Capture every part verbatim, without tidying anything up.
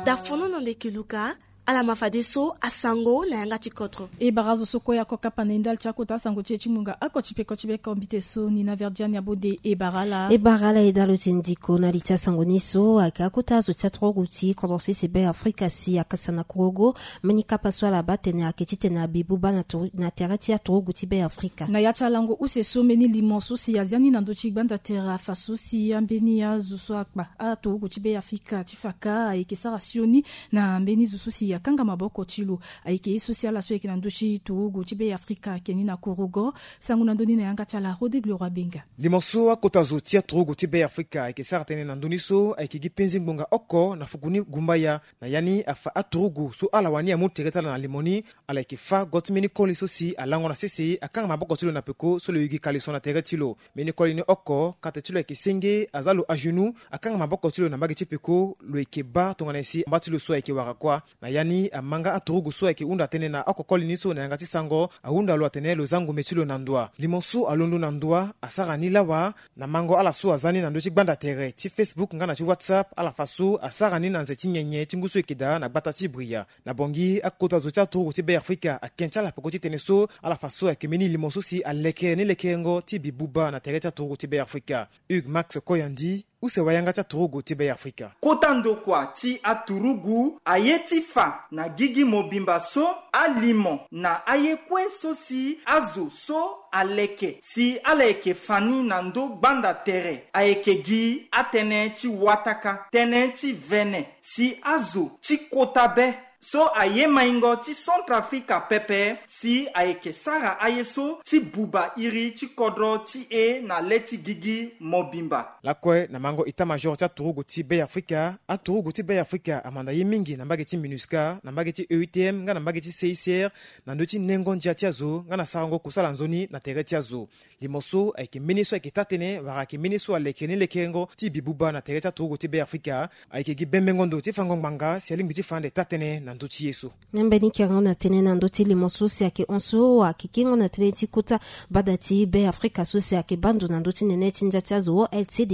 Dafono na ndeke luka. Ala ma fadeso asango na yanga ti kodro. E bara azo so kue ako kapa na e ndali ti akota asango ti e ti ngbonga oko ti peko ti be kombite so ni na verdiani abode e bara ala. E bara ala e dalo ti ndiko na li ti asango ni so ayeke akota azo ti aturugu ti kodro sese be afrika si akasa na kurugu. Mbeni kapa so ala baa tene ayeke titene abi buba na tere ti aturugu ti be afrika. Na ya ti alango use so mbeni limo so si azia ni na ndö ti gbanda tere afa so si ambeni azo so akpa aturugu ti be afrika ti faka ayeke sara sioni na mbeni zo so si akanga maboko ti lo. Ayeke ye so si ala so ayeke na ndö ti turugu ti be afrika ayeke ni na kurugu. Sango na ndö ni na yanga ti ala rodrigue leroy benga. Limo so akota zo ti aturugu ti be afrika ayeke sara tënë na ndö ni so ayeke gi penzi ngbonga oko na fuku ni gumbaya. Na ya ni afa aturugu so ala wani amu tere ti ala na limo ni. Ala yeke fa go ti mbeni koli so si alango na sese akanga maboko ti lo na peko so lo yugi kaliso na tere ti lo. Mbeni koli ni oko kate ti lo ayeke senge aza lo agenou. Akanga maboko ti lo na mbage ti peko lo yeke baa tongana nyen si amba ti lo so ayeke wara kuâ. Na ya ni amanga aturugu so ayeke hunda tënë na oko koli ni so na yanga ti sango ahunda lo atene lo za ngumbe ti lo na ndoa. Limo so alondo na ndoa asara ni lawa na mango ala so aza ni na ndö ti gbanda tere ti facebook nga na ti whatsapp ala fa so asara ni na nze ti nyenye ti ngu so eke daa na gbata ti bria. Na bongi akota zo ti aturugu ti be afrika ake ti ala peko ti tene so ala fa so ayeke mbeni limo so si alekere ni lekerengo ti bi buba na tere ti aturugu ti be afrika. Hugues max koyandi use wayanga ti aturugu ti be afrika. Kota ndokua ti aturugu aye ti fa na gigi mobimba so alimo na aye kue so si azo so aleke si ala yeke fa ni na ndö gbanda tere ayeke gi atënë ti wataka tënë ti vene si azo ti kota be so aye maingo ti centrafrika pepe si ayeke sara aye so ti buba iri ti kodro ti e na le ti gigi mobimba. Lakue na mango état-major ti aturugu ti be afrika aturugu ti be afrika amanda ye mingi na mbage ti minusca na mbage ti eutm nga na mbage ti cicr na ndö ti nengo ndia ti azo nga na sarango kusala nzoni na tere ti azo. Limo so ayeke mbeni so ayeke taa-tënë wala ayeke mbeni so alekere ni lekerengo ti bi buba na tere ti aturugu ti be afrika. Ayeke gi bembengo ndo ti fango ngbanga si alingbi ti fa ande taa-tënë na ndö ti ye so. Na mbeni kerengo na tënë na ndö ti limo so si ayeke hon so ayeke kengo na tënë ti kota bada ti be afrika so si ayeke baa ndo na ndö ti nene ti ndia ti azo lcdh.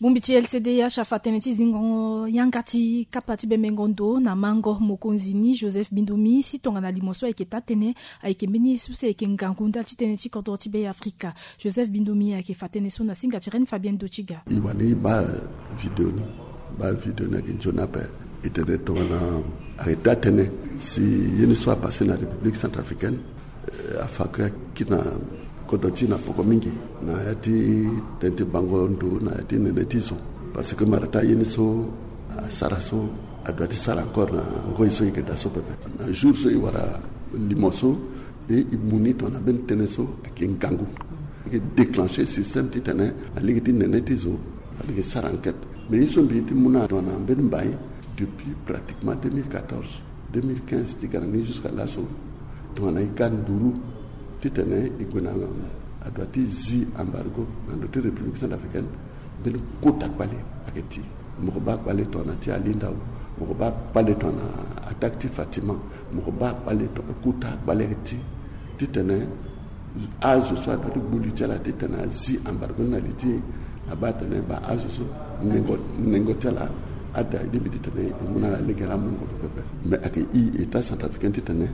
Bongbi ti lcdh afa tënë ti zingo yanga ti kapa ti bembengo ndo na mango mokonzi ni joseph bindumi si tongana limo so ayeke taa-tënë ayeke mbeni ye so si ayeke ngangu ndali ti tënë ti kodro ti be afrika. Joseph bindumi ayeke fa tënë so na singa ti reine fabienne dotiga. E wani e baa video ni baa video ni ayeke nzoni ape. E tene tongana ayeke taa-tënë si ye ni so apase na république centrafricaine afa kue akiri na kodro ti e na poko mingi na ya ti tënë ti bango ndo na ya ti nene ti zo. Parce que mara taa ye ni so asara so adua ti sara encore na ngoi so e yeke daa so pepe. Na jour so e wara limo so e e mu ni tongana mbeni tënë so ayeke ngangu. Ayeke déclencher système titene alege ti nene ti zo alege sara enquête. Mais ye so mbi ye ti mu na tongana mbeni mbai depuis pratiquement deux mille quatorze deux mille quinze ti ga na ni jusqu'à laso. Tongana e ga nduru titene e gue na adua ti zi embargo na ndö ti république centrafricaine. Mbeni kota kpale ayeke ti mo ko baa kpale tongana ti alindao. Mo ko baa kpale tongana attaque ti fatima. Mo ko baa kpale tongana kota kpale ayeke ti titene azo so adua ti gbu li ti ala titene azi embargo ni na li ti e. Abaa atene baa azo so nengo ti ala ada e lingbi titene e mu na ala lege laa mungo pepepe. Mais ayeke e état centrafricain titene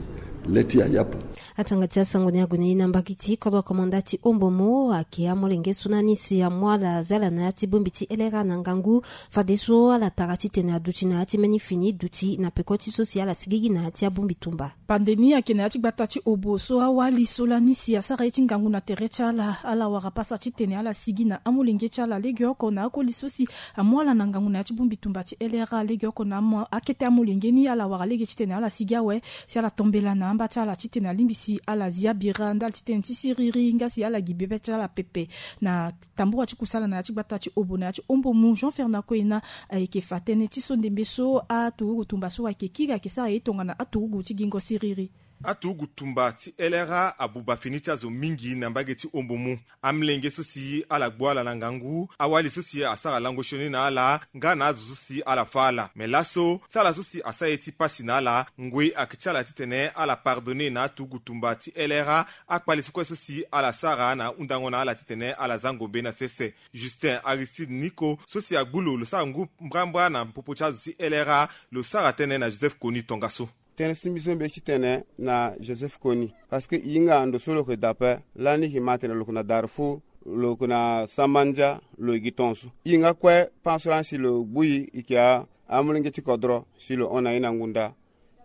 le ti e ayapu. Atanga ti asango ni ague na e na mbaki ti kodro komanda ti ombomo ayeke amolenge so na ni si amu ala zi ala na ya ti bongbi ti lra na ngangu. Fadeso ala tara titene aduti na ya ti mbeni fini duti na peko ti so si ala sigigi na ya ti abongbi tumba. Pande ni ayeke na ya ti gbata ti obo so awali so lani si asara ye ti ngangu na tere ti ala ala wara pasa titene ala sigi na amolenge ti ala legeoko na akoli so si amu ala na ngangu na ya ti bongbi tumba ti lra legeoko na akete amolenge ni ala wara lege titene ala sigi awe si ala tombela na amba ti ala titene alingbi si ala zi abira ndali titene ti siriri nga si ala gi bebe ti ala pepe. Na tambura ti kusala na ya ti gbata ti obo na ya ti ombomu jean fernand koyena ayeke fa tënë ti so ndembe so aturugu tumba so ayeke kiri ayeke sara ye tongana aturugu ti gingo siriri. Aturugu tumba ti L R A abuba fini ti azo mingi na mbage ti Ombo mu. Amlenge so si ala gbu ala na ngangu, awali so si asara lango sioni na ala, nga na azo so si ala fâ ala. Me laso, ti ala so si asara ye ti pasi na ala, ngoi ayeke ti ala titene ala pardonner na aturugu tumba ti L R A akpale ti kue so si ala sara na ahundango na ala titene ala za ngombe na sese. Justin Aristide Niko, so si agbu lo, lo sara ngu mbrambra na popo ti azo ti L R A, lo sara tënë na Joseph Kony tongaso. Tënë so mbi so mbi ye ti tene na Joseph Kony, parce que e hinga ndo so lo yeke daa ape. Lani e yeke ma atene lo yeke na Darfour, lo yeke na Samandia, lo e gi tongaso. E hinga kue pan so lani si lo gbu e, e yeke a, amolenge ti kodro si lo hon na e na ngu nda.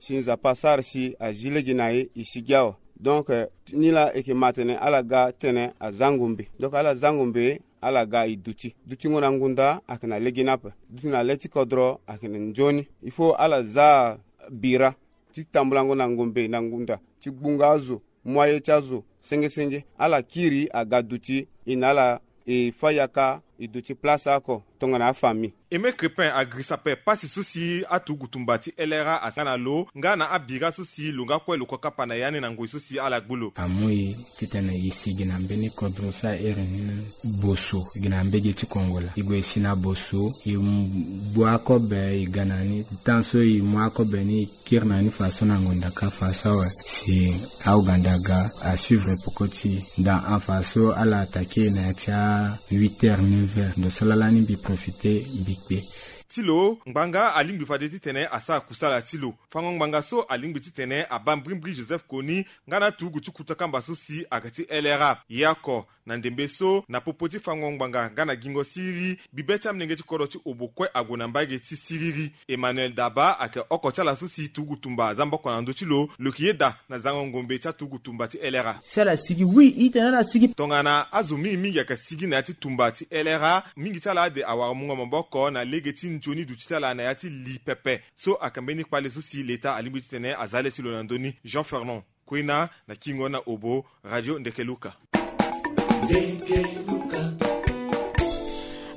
Si Nzapa asara si azi lege na e, e sigi awe. Donc, eh, ni laa e yeke ma atene ala ga tene aza ngombe. Donc ala za ngombe, ala ga e duti. Dutingo na ngu nda ayeke na lege ni ape. Duti na le ti kodro ayeke na nzoni. Il faut ala za bira ti tambulango na ngombe na ngu nda, ti gbunga azo, mu aye ti azo senge senge. Ala kiri aga duti, e na ala e fâ yaka, e duti place oko tongana afamille. Aimé Crépin agirisa ape pasi so si aturugu tumba ti L R A asara na lo, nga na abira so si lo nga kue lo ko kapa na ya ni na ngoi so si ala gbu lo. Amu e titene e sigi na mbeni kodro so a iri ni boso gi na mbage ti Kongo laa. E gue e si na boso, e gbu akobe, e ga na ni. Temps so e mu akobe ni, e kiri na ni faso na ngonda ka faso awe. Si auganda aga a suivre peko ti e. Dans en faso ala attaquer na ya ti a huit heures, neuf heures. Ndo so laa lani mbi profiter mbi kpe. Ti lo, ngbanga alingbi fade titene asara kusala ti lo. Fango ngbanga so alingbi titene abaa mbrimbri Joseph Kony nga na aturugu ti kuta kamba so si ayeke ti L R A. Ye oko, na ndembe so, na popo ti fango ngbanga nga na gingo siriri, bibe ti amolenge ti kodro ti Obo kue ague na mbage ti siriri. Emmanuel Daba ayeke oko ti ala so si turugu tumba aza maboko na ndö ti lo. Lo yeke yeda na zango ngombe ti aturugu tumba ti L R A. Si ala sigi, oui, e tene ala sigi. Tongana azo mingi mingi ayeke sigi na ya ti tumba ti L R A, mingi ti ala ade awara mungo maboko na lege ti nzoni duti ti ala na ya ti li pepe. So ayeke mbeni kpale so si leta alingbi titene aza le ti lo na ndö ni. Jean Fernand Kwena na Kingo na Obo, Radio Ndekeluka.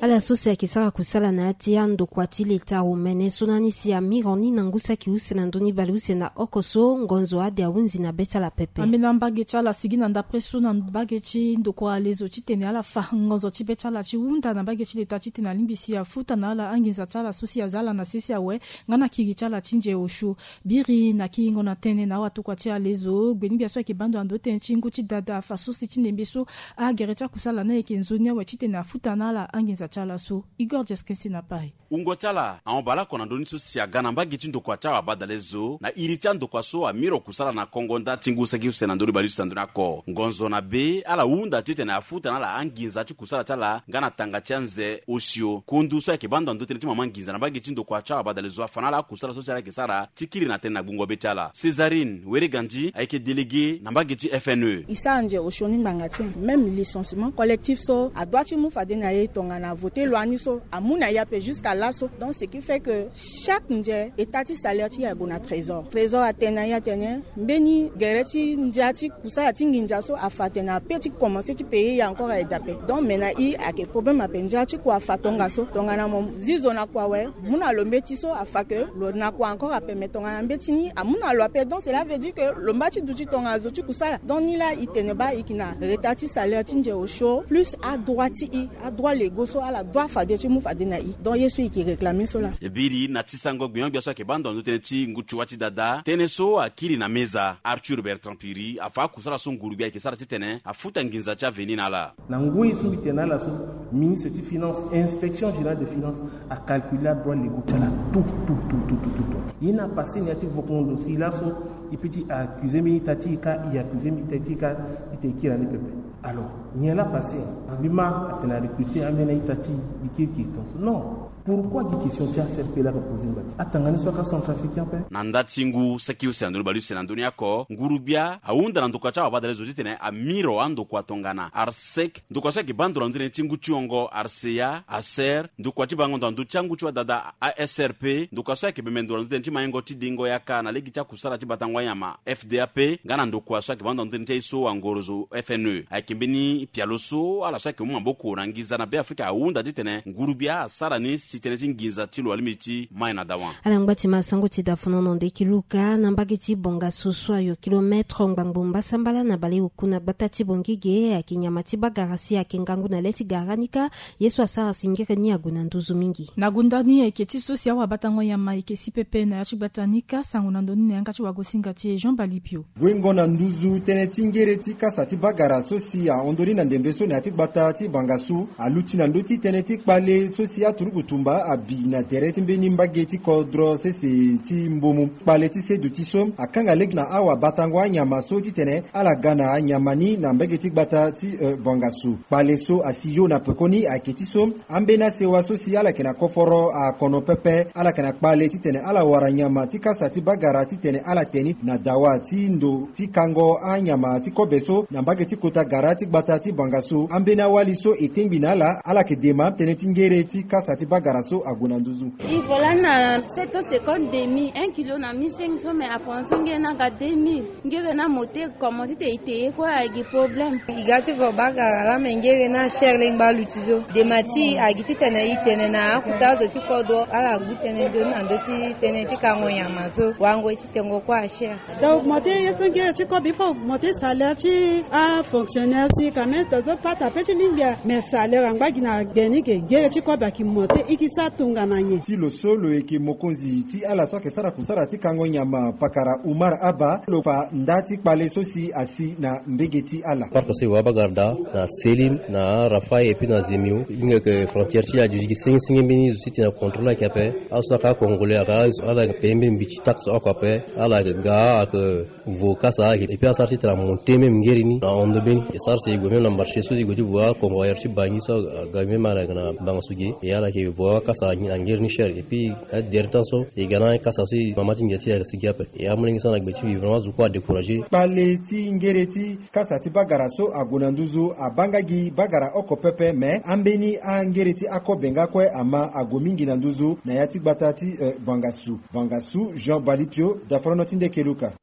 Ala so si ayeke sara kusala na ya ti andokua ti leta omene so na ni si amiro ni na ngu saki use na ndö ni bale use na oko so, ngonzo ade ahunzi na be ti ala pepe. Ambeni ambage ti ala sigi na ndapre so na mbage ti ndokua lezo titene ala fa ngonzo ti be ti ala ti hunda na mbage ti leta titene alingbi si afuta na ala anginza ti ala so si aza ala na sese awe, nga na kiri ti ala ti nze osio. Biri na kiringo na tënë na awatokua ti alezo, gbeni-gbia so ayeke baa ndo na ndö ti tënë ti ngu ti dada, afa so si ti ndembe so agere ti akusala ni ayeke nzoni awe titene afuta na ala anginza ti ala so. Igor Jeskensi na Paris. Wungo ti ala ahon baleoko na ndö ni so si aga na mbage ti ndokua ti awabadalezo na iri ti andokua so amiro kusala na Kongo nda ti ngu saki use na ndö ni baleuse na ndö ni oko. Ngonzo na be ala hunda titene afuta na ala anginza ti kusala ti ala nga na tanga ti anze osio. Kundu so ayeke baa ndo na ndö ti tënë ti mama nginza na mbage ti ndokua ti awabadalezo afa na ala akusala so si ala yeke sara ti kiri na tënë na gbungo be ti ala. Césarine Weregandi ayeke délégué na mbage ti F N E. E sara nze osio ni ngbanga ti e. Même licenciement collectif so adua ti mu fade na e tongana voté loi ni so amu na e ape jusqu'à laso. Donc ce qui fait que chaque nze état ti salaire ti e ague na trésor. Trésor atene na e atene mbeni gere ti ndia ti kusala ti nginza so afa atene ape ti commencer ti payer e encore aye dape. Donc me na e ayeke problème ape, ndia ti kua afa tongaso. Tongana mo zi zo na kua awe, mu na lo mbeti so afa ke lo na kua encore ape, me tongana mbeti ni amu na lo ape. Donc cela veut dire que lo mba ti duti tongana zo ti kusala. Donc ni laa e tene baa e yeke na retard ti salaire ti nze osio plus adroit ti e, adroit légaux so ala doit fade ti mu fade na e. Donc ye so e yeke réclamer so laa. E biri na ti sango gbenyo-gbia so ayeke baa ndo na ndö ti tënë ti ngu ti wa ti dada, tënë so akiri na meza. Arthur Bertrand Piri afa akusala so nguru-gbia ayeke sara titene afuta nginza ti aveni na ala. Na ngoi so mbi tene na ala so, ministre ti finance, inspection générale de finance acalcule adroit légaux ti ala tout tout tout tout tout tout. Ye ni apassé na ya ti vokongo ndo si laso e peut ti accusé mbeni ita ti e kâ, e accusé mbeni ita ti e kâ, titene e kiri na ni pepe. Alors nyen laa apassé? Mbi ma atene arecruté ambeni aita ti e, e kirikiri tongaso. Non. Pourquoi gi question ti A C R P laa ka posé ngbanga ti atanga ni so aka centrafricain ape? Na nda ti ngu saki use na ndö ni baleuse na ndö ni oko, nguru-gbia ahunda na ndokua ti awabadalezo titene amiro andokua tongana ARSEC, ndokua so ayeke baa ndo na ndö ti tënë ti ngu ti hongo, ARSEA, ASER, ndokua ti bango ndo na ndö ti angu ti wadada, A S R P, ndokua so ayeke bembe ndo na ndö ti tënë ti maingo ti dengo yaka na lege ti akusala ti batango anyama, F D A P, nga na ndokua so ayeke baa ndo na ndö ti tënë ti aye so angorozo, F N E. Ayeke Mbeni pialo so ala so ayeke mu maboko na nginza na Beafrika ahunda titene ngurugbia asara ni si tënë ti nginza ti lo alingbi ti mai na dawa. Ala ngba ti ma sango ti da fonono ndeki luka na mbage ti Bongaso so ayo kilometre ngbangbo mbasambala na baleoku na gbata ti Bongige, ayeke nyama ti bagara si ayeke ngangu na le ti gara ni kâ. Ye so asara si ngere ni ague na nduzu mingi. Na gonda ni ayeke ti so si awabatango nyama ayeke si pepe na ya ti gbata ni kâ. Sango na ndo ni na yanga ti wagosinga ti e Jean Balipio. Guengo na nduzu tënë ti ngere ti kasa ti bagara so si ahon ndoni na ndembe so na ya ti gbata ti Bangasu aluti na ndö ti tënë ti kpale so si aturugu tumba abi na tere ti mbeni mbage ti kodro sese ti Mbomu. Kpale ti seduti so akanga lege na awabatango anyama so titene ala ga na anyama ni na mbage ti gbata ti, eh, Bangasu. Kpale so asi yo na pekoni ayeke ti so ambeni asewa so si ala yeke na koforo akono pepe, ala yeke na kpale titene ala wara nyama ti kasa ti bagara titene ala te ni na dawa ti ndo ti kango anyama ti kobe so na mbage ti kota gara ti gbata ti Bangasu. Ambeni awali so e tengbi na ala, ala yeke dema tënë ti ngere ti kasa ti bagara so ague na nduzu. Il faut là na sept cent cinquante demi, un kilo na mille cinq cents, mais après so nge na ga deux mille. Ngere na mote comment ti te i te ye kue agi problème. I ga ti vo bagara la me ngere na cher lengba luti so. Dema ti agi ti tene i tene na akuta zo ti kodro ala gu tënë nzoni na ndö ti tënë ti kango nyama so. Wango ti tengo kue a cher. Da augmenter ye so ngere ti kobe, il faut augmenter salaire ti afonctionnaire si quand même tozo pata pe ti lingbi a. Mais salaire angba gi na gbe ni ke ngere ti kobe aki monter i ki sa tongana nyen. Ti lo so lo yeke mokonzi ti ala so ayeke sara kusara ti kango nyama pakara Umar Abba lo fa nda ti kpale so si asi na mbege ti ala. Parc so e wa bagara da na Selim na Rafai et puis na Zemio. Hinga yeke frontière ti adjudiki senge senge mbeni zo ti tena contrôle ayeke ape. Azo so aka congolais aka ala yeke paye mbeni mbi ti taxe oko ape. Ala yeke ga ayeke vo kasa ayeke et puis asara ti tena monter même ngeri ni na hondo mbeni. E sara si e gue même na marché so e gue ti vo aconvoyeur ti Bangui so aga même ala yeke na Bangasu ge. E ala yeke vo akasa na ngeri ni cher et puis adere temps so e ga na akasa so e mama ti ngia ti e ayeke sigi ape. E amolenge so na gbe ti mbi vraiment azo kue adécourager. Kpale ti ngere ti kasa ti bagara so ague na nduzu abanga gi bagara oko pepe, me ambeni angere ti akobe nga kue ama ague mingi na nduzu na ya ti gbata ti, eh, Bangasu. Bangasu, Jean Balipio, daforono ti nde keluka.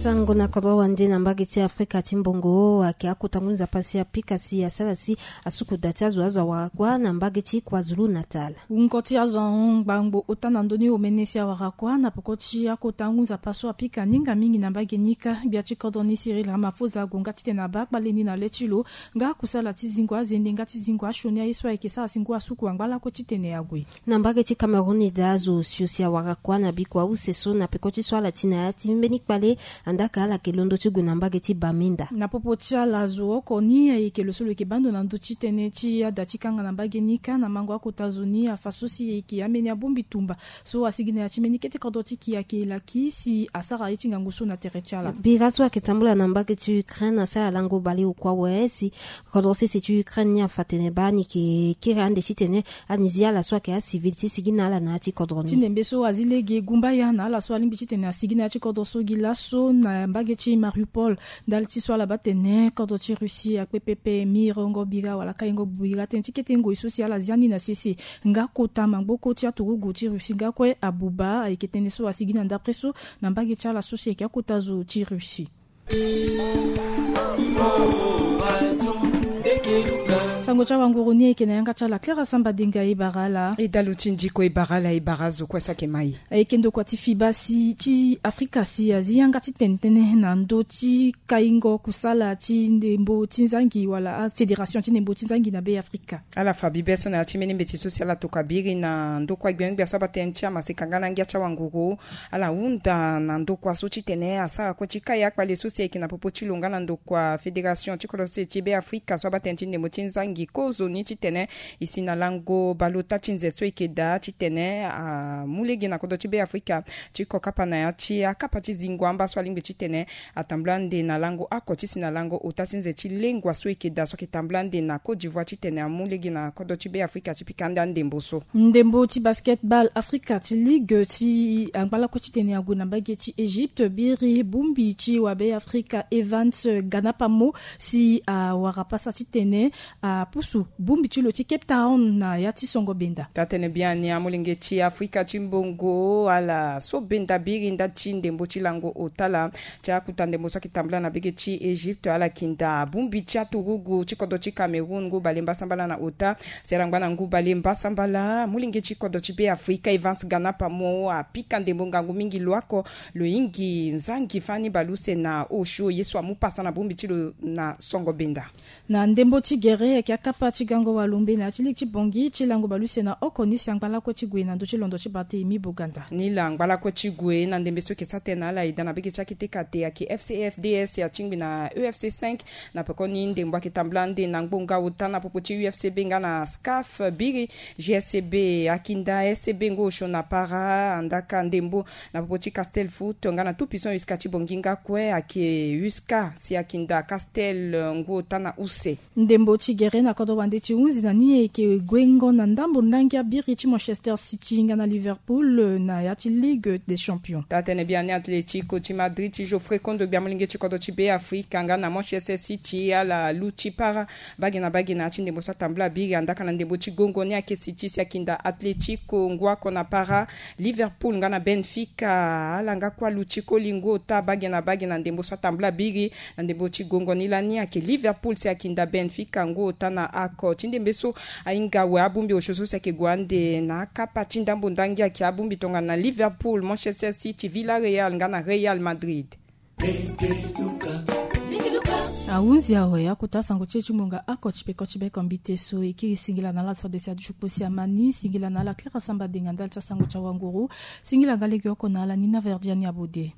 Sango na kodro wande na mbage ti Afrika ti mbongo ayeke akota ngu nzapa si apika si asara si asuku da ti azo azo awara kuâ na mbage ti KwaZulu Natal. Wungo ti azo ahon ngbangbo ota na ndö ni omene si awara kuâ na peko ti akota ngu nzapa so apika ni nga mingi na mbage ni kâ. Gbia ti kodro ni Cyril Ramaphosa ague nga titene abaa kpale ni na le ti lo nga akusala ti zingo azende nga ti zingo asioni aye so ayeke sara si ngu asuku angba lakue titene ague. Na mbage ti Cameroun e daa azo osio si awara kuâ na bikua use so na peko ti so ala ti na ya ti mbeni kpale. Andaa ka ala yeke londo ti gue na mbage ti Bamenda. Na popo ti ala azo oko ni ayeke lo so lo yeke baa ndo na ndö ti tënë ti ada ti kanga na mbage ni kâ na mango akota zo ni afa so si e yeke ambeni abongbi tumba so asigi na ya ti mbeni kete kodro ti ki ayeke laki si asara ye ti ngangu so na tere ti ala. Bira so ayeke tambula na mbage ti Ukraine asara lango baleoku awe si kodro sese ti Ukraine ni afa tene baa ni yeke kiri ande titene ani zi ala so ayeke acivil ti sigi na ala na ya ti kodro ni. Ti ndembe so azi lege gumbaya na ala so alingbi titene asigi na ya ti kodro so gi laso na mbage ti Mariupol. Ndali ti so ala baa tene kodro ti Russie akpe pepe mirengo bira wala kaingo bira tënë ti kete ngoi so si ala zia ni na sese. Nga kota maboko ti aturugu ti Russie nga kue abuba ayeke tënë so asigi na ndapre so na mbage ti ala so si ayeke akota zo ti Russie. Sango ti awanguru ni ayeke na yanga ti ala Clara Samba Denga e bara ala. E dalu ti ndiko e bara ala e bara azo kue so ayeke mai. Ayeke ndokua ti fiba si ti Afrika si azi yanga ti tene tënë na ndö ti kaingo kusala ti ndembo ti nzangi wala afédération ti ndembo ti nzangi na Be Afrika. Ala fa bibe so na ya ti mbeni mbeti so si ala tokua biri na ndokua gbia gbia so abaa tënë ti amaseka nga na ngia ti awanguru. Ala hunda na ndokua so titene asara kue ti kai akpale so si ayeke na popo ti lo nga na ndokua fédération ti kodro sese ti Be Afrika so abaa tënë ti ndembo ti nzangi kozoni titene e si na lango baleota ti nze so e yeke daa titene amu lege na kodro ti Be Afrika ti ko kapa na ya ti akapa ti zingo amba so alingbi titene atambula ande na lango oko ti si na lango ota ti nze ti lengua so e yeke daa so ayeke tambula ande na Côte d'Ivoire titene amu lege na kodro ti Be Afrika ti pika ande andembo so. Ndembo ti basketball Afrika ti ligue si angba lakue titene ague na mbage ti Égypte biri bongbi ti wabe Afrika Evans Ganapamo si awara pasa titene a pusu bongbi ti lo ti Cape Town na ya ti songo benda. Taa tene biani amolenge ti Afrika ti mbongo ala so benda biri nda ti ndembo ti lango ota laa ti akuta ndembo so ayeke tambula na bege ti Egypte, ala yeke nda bongbi ti aturugu ti kodro ti Cameroun ngu bale mbasambala na ota. Si ala ngba na ngu bale mbasambala, molenge ti kodro ti Beafrika Evans Ganapa mo apika ndembo ngangu mingi lo oko lo hingi nzangi fani baleuse na osio ye so amu pasa na bongbi ti lo na songo benda. Na ndembo ti gere ayeke akapa ti gango walombe na ya ti ligue ti Bangui ti lango baleuse na oko ni si angba lakue ti gue na ndö ti londo ti Barthélemy Boganda. Ni la angba lakue ti gue na ndembe so ayeke sara tënë na ala eda na bege ti akete kate ayeke F C F D S ya ti ngbi na E F C cinq. Na pekoni ndembo ayeke tambula ande na ngbonga ota na popo ti U F C B nga na SCAF biri, G S C B akinda S C B ngu osio na para, andaka ndembo na popo ti Castel Foot nga na Tout Puissant U S C A ti Bangui nga kue ayeke U S C A si akinda Castel ngu ota na use. Ndembo ti gere na kodro wande ti hunzi na ni ayeke guengo na ndambo ndangi abiri ti Manchester City nga na Liverpool na ya ti Ligue des Champions. Taa tene biani Atlético ti Madrid ti Geoffrey Kondogbia molenge ti kodro ti Beafrika nga na Manchester City ala luti para bage na bage na ya ti ndembo so atambula biri, andaka na ndembo ti gongo ni ayeke City si akinda Atlético ngu oko na para. Liverpool nga na Benfica ala nga kue aluti koli ngu ota bage na bage na ndembo so atambula biri. Na ndembo ti gongo ni lani ayeke Liverpool si akinda Benfica ngu ota na oko ti ndembe so. Ahinga awe abongbi osio so si ayeke gue ande na akapa ti ndambo ndangi ayeke abongbi tongana Liverpool, Manchester City, Villarreal nga na Real Madrid. Ahunzi awe akota sango ti e ti ngbonga oko ti peko ti beko mbite so e kiri. Singila na ala so adesi aduti kpo si amani. Singila na ala Clara Samba Denga ndali ti asango ti awanguru. Singila nga legeoko na ala Nina Verdiani Abode.